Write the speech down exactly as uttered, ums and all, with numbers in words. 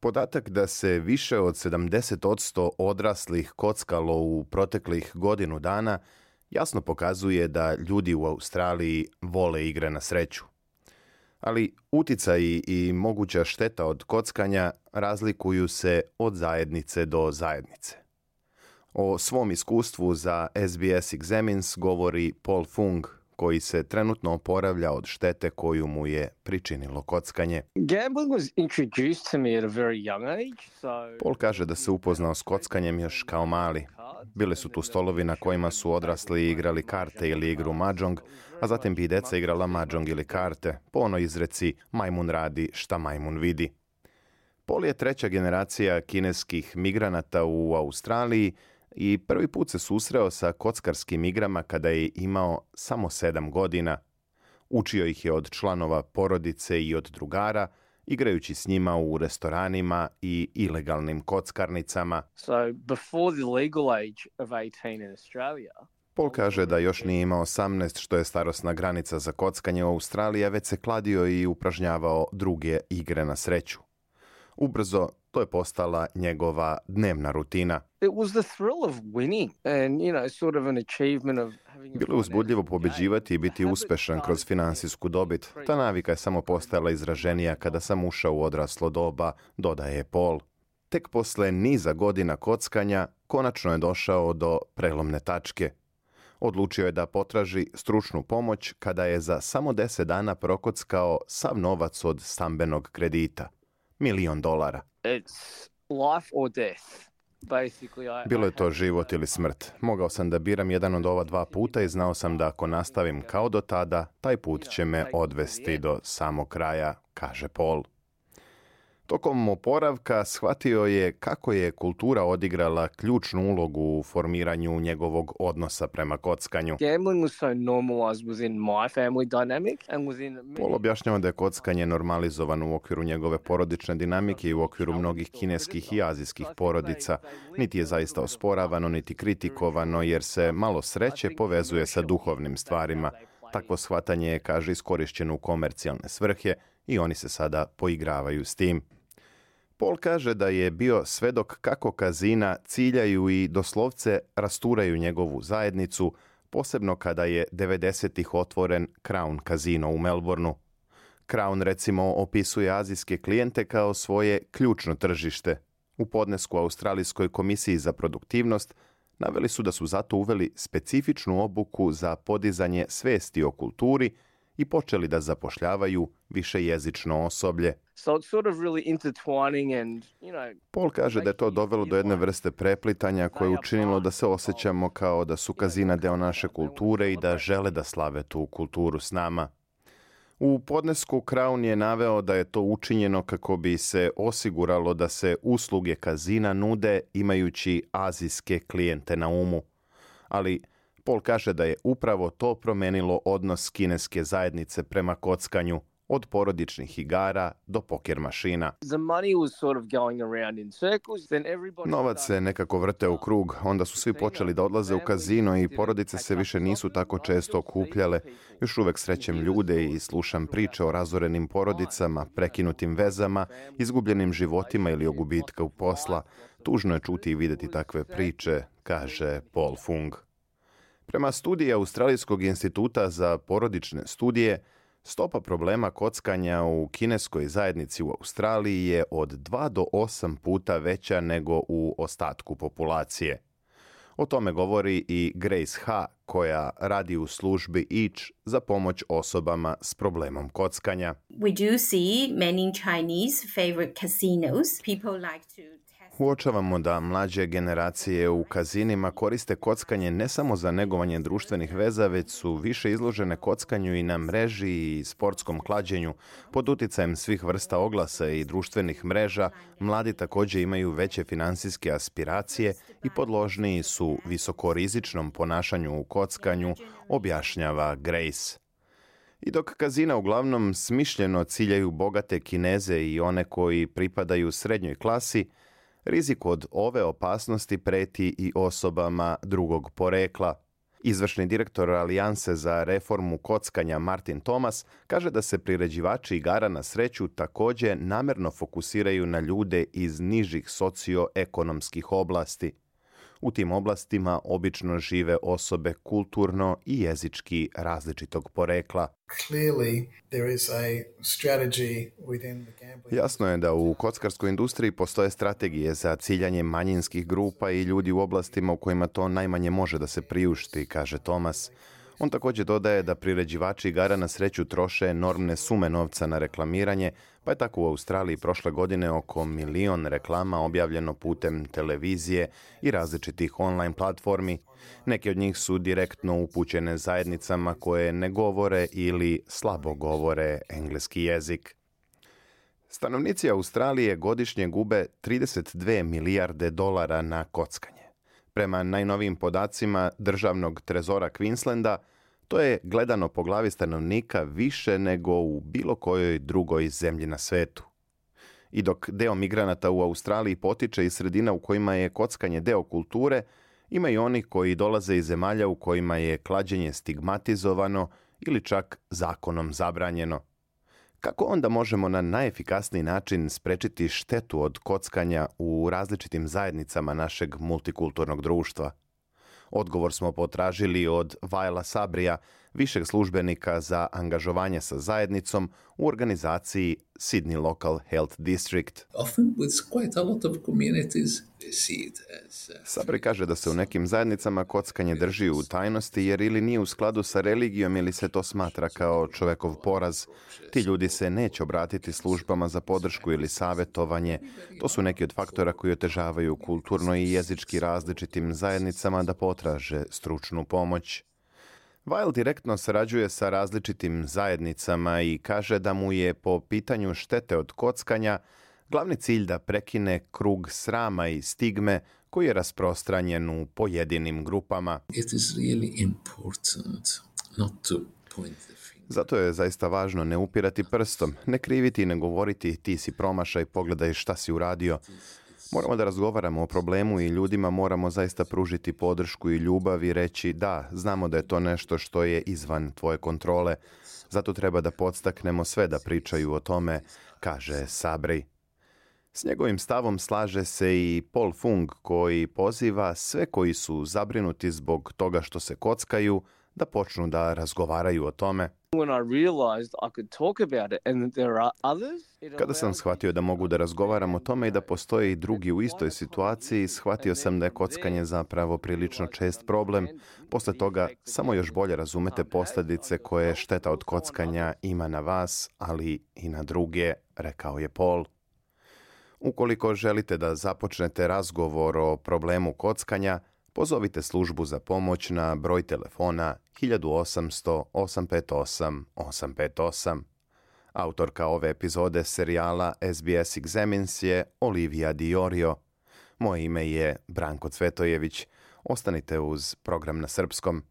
Podatak da se više od sedamdeset posto odraslih kockalo u proteklih godinu dana jasno pokazuje da ljudi u Australiji vole igre na sreću. Ali uticaji i moguća šteta od kockanja razlikuju se od zajednice do zajednice. O svom iskustvu za S B S Examines govori Paul Fung, koji se trenutno oporavlja od štete koju mu je pričinilo kockanje. Paul kaže da se upoznao s kockanjem još kao mali. Bili su tu stolovi na kojima su odrasli igrali karte ili igru mahjong, a zatim bi i deca igrala mahjong ili karte, po onoj izreci majmun radi šta majmun vidi. Paul je treća generacija kineskih migranata u Australiji i prvi put se susreo sa kockarskim igrama kada je imao samo sedam godina. Učio ih je od članova porodice i od drugara, igrajući s njima u restoranima i ilegalnim kockarnicama. So, before the legal age of eighteen in Australia, Paul kaže da još nije imao osamnaest, što je starosna granica za kockanje u Australiji, a već se kladio i upražnjavao druge igre na sreću. Ubrzo to je postala njegova dnevna rutina. It was the thrill of winning and, you know, sort of an achievement of having a Bilo je uzbudljivo pobeđivati i biti uspešan kroz finansijsku dobit. Ta navika je samo postajala izraženija kada sam ušao u odraslo doba, dodaje Paul. Tek posle niza godina kockanja konačno je došao do prelomne tačke. Odlučio je da potraži stručnu pomoć kada je za samo deset dana prokockao sav novac od stambenog kredita. Milion dolara. It's life or death. Basically, I, Bilo je to život ili smrt. Mogao sam da biram jedan od ova dva puta i znao sam da ako nastavim kao do tada, taj put će me odvesti do samog kraja, kaže Paul. Tokom oporavka shvatio je kako je kultura odigrala ključnu ulogu u formiranju njegovog odnosa prema kockanju. Gambling was so normalized within my family dynamic and within Paul objašnjava da je kockanje normalizovano u okviru njegove porodične dinamike i u okviru mnogih kineskih i azijskih porodica. Niti je zaista osporavano, niti kritikovano, jer se malo sreće povezuje sa duhovnim stvarima. Takvo shvatanje je, kaže, iskorišćeno u komercijalne svrhe i oni se sada poigravaju s tim. Paul kaže da je bio svedok kako kazina ciljaju i doslovce rasturaju njegovu zajednicu, posebno kada je devedesetih otvoren Crown kazino u Melbourneu. Crown recimo opisuje azijske klijente kao svoje ključno tržište. U podnesku Australijskoj komisiji za produktivnost naveli su da su zato uveli specifičnu obuku za podizanje svesti o kulturi i počeli da zapošljavaju višejezično osoblje. So it's sort of really intertwining and, you know, Paul kaže da je to dovelo do jedne vrste preplitanja koje je učinilo da se osjećamo kao da su kazina deo naše kulture i da žele da slave tu kulturu s nama. U podnesku Crown je naveo da je to učinjeno kako bi se osiguralo da se usluge kazina nude imajući azijske klijente na umu. Ali Paul kaže da je upravo to promenilo odnos kineske zajednice prema kockanju, od porodičnih igara do poker mašina. the money was sort of going around in circles, then everybody Novac se nekako vrte u krug, onda su svi počeli da odlaze u kazino i porodice se više nisu tako često okupljale. Još uvek srećem ljude i slušam priče o razorenim porodicama, prekinutim vezama, izgubljenim životima ili o gubitku posla. Tužno je čuti i vidjeti takve priče, kaže Paul Fung. Prema studiji Australijskog instituta za porodične studije, stopa problema kockanja u kineskoj zajednici u Australiji je od dva do osam puta veća nego u ostatku populacije. O tome govori i Grace Ha, koja radi u službi Each za pomoć osobama s problemom kockanja. We do see many Chinese favorite casinos. People like to test. Uočavamo da mlađe generacije u kazinima koriste kockanje ne samo za negovanje društvenih veza, već su više izložene kockanju i na mreži i sportskom klađenju. Pod uticajem svih vrsta oglasa i društvenih mreža, mladi također imaju veće finansijske aspiracije i podložniji su visokorizičnom ponašanju u kockanju, objašnjava Grace. I dok kazina uglavnom smišljeno ciljaju bogate Kineze i one koji pripadaju srednjoj klasi, rizik od ove opasnosti preti i osobama drugog porekla. Izvršni direktor Alijanse za reformu kockanja Martin Thomas kaže da se priređivači igara na sreću također namjerno fokusiraju na ljude iz nižih socioekonomskih oblasti. U tim oblastima obično žive osobe kulturno i jezički različitog porekla. Jasno je da u kockarskoj industriji postoje strategije za ciljanje manjinskih grupa i ljudi u oblastima u kojima to najmanje može da se priušti, kaže Thomas. On također dodaje da priređivači igara na sreću troše enormne sume novca na reklamiranje, pa je tako u Australiji prošle godine oko milion reklama objavljeno putem televizije i različitih online platformi. Neki od njih su direktno upućene zajednicama koje ne govore ili slabo govore engleski jezik. Stanovnici Australije godišnje gube trideset dvije milijarde dolara na kockanje. Prema najnovijim podacima državnog trezora Queenslanda, to je gledano po glavi stanovnika više nego u bilo kojoj drugoj zemlji na svetu. I dok deo migranata u Australiji potiče iz sredina u kojima je kockanje deo kulture, ima i oni koji dolaze iz zemalja u kojima je klađenje stigmatizovano ili čak zakonom zabranjeno. Kako onda možemo na najefikasniji način sprečiti štetu od kockanja u različitim zajednicama našeg multikulturnog društva? Odgovor smo potražili od Vaila Sabrija, višeg službenika za angažovanje sa zajednicom u organizaciji Sydney Local Health District. Sabri kaže da se u nekim zajednicama kockanje drži u tajnosti jer ili nije u skladu sa religijom ili se to smatra kao čovekov poraz. Ti ljudi se neće obratiti službama za podršku ili savjetovanje. To su neki od faktora koji otežavaju kulturno i jezički različitim zajednicama da potraže stručnu pomoć. Weil direktno sarađuje sa različitim zajednicama i kaže da mu je po pitanju štete od kockanja glavni cilj da prekine krug srama i stigme koji je rasprostranjen u pojedinim grupama. It is really important not to point the finger. Zato je zaista važno ne upirati prstom, ne kriviti i ne govoriti ti si promašaj, pogledaj šta si uradio. Moramo da razgovaramo o problemu i ljudima moramo zaista pružiti podršku i ljubav i reći da, znamo da je to nešto što je izvan tvoje kontrole. Zato treba da podstaknemo sve da pričaju o tome, kaže Sabri. S njegovim stavom slaže se i Paul Fung koji poziva sve koji su zabrinuti zbog toga što se kockaju da počnu da razgovaraju o tome. Kada sam shvatio da mogu da razgovaram o tome i da postoje i drugi u istoj situaciji, shvatio sam da je kockanje zapravo prilično čest problem. Posle toga samo još bolje razumete posljedice koje šteta od kockanja ima na vas, ali i na druge, rekao je Paul. Ukoliko želite da započnete razgovor o problemu kockanja, pozovite službu za pomoć na broj telefona hiljadu osamsto osam pet osam osam pet osam. Autorka ove epizode serijala S B S Examines je Olivia Diorio. Moje ime je Branko Cvetojević. Ostanite uz program na srpskom.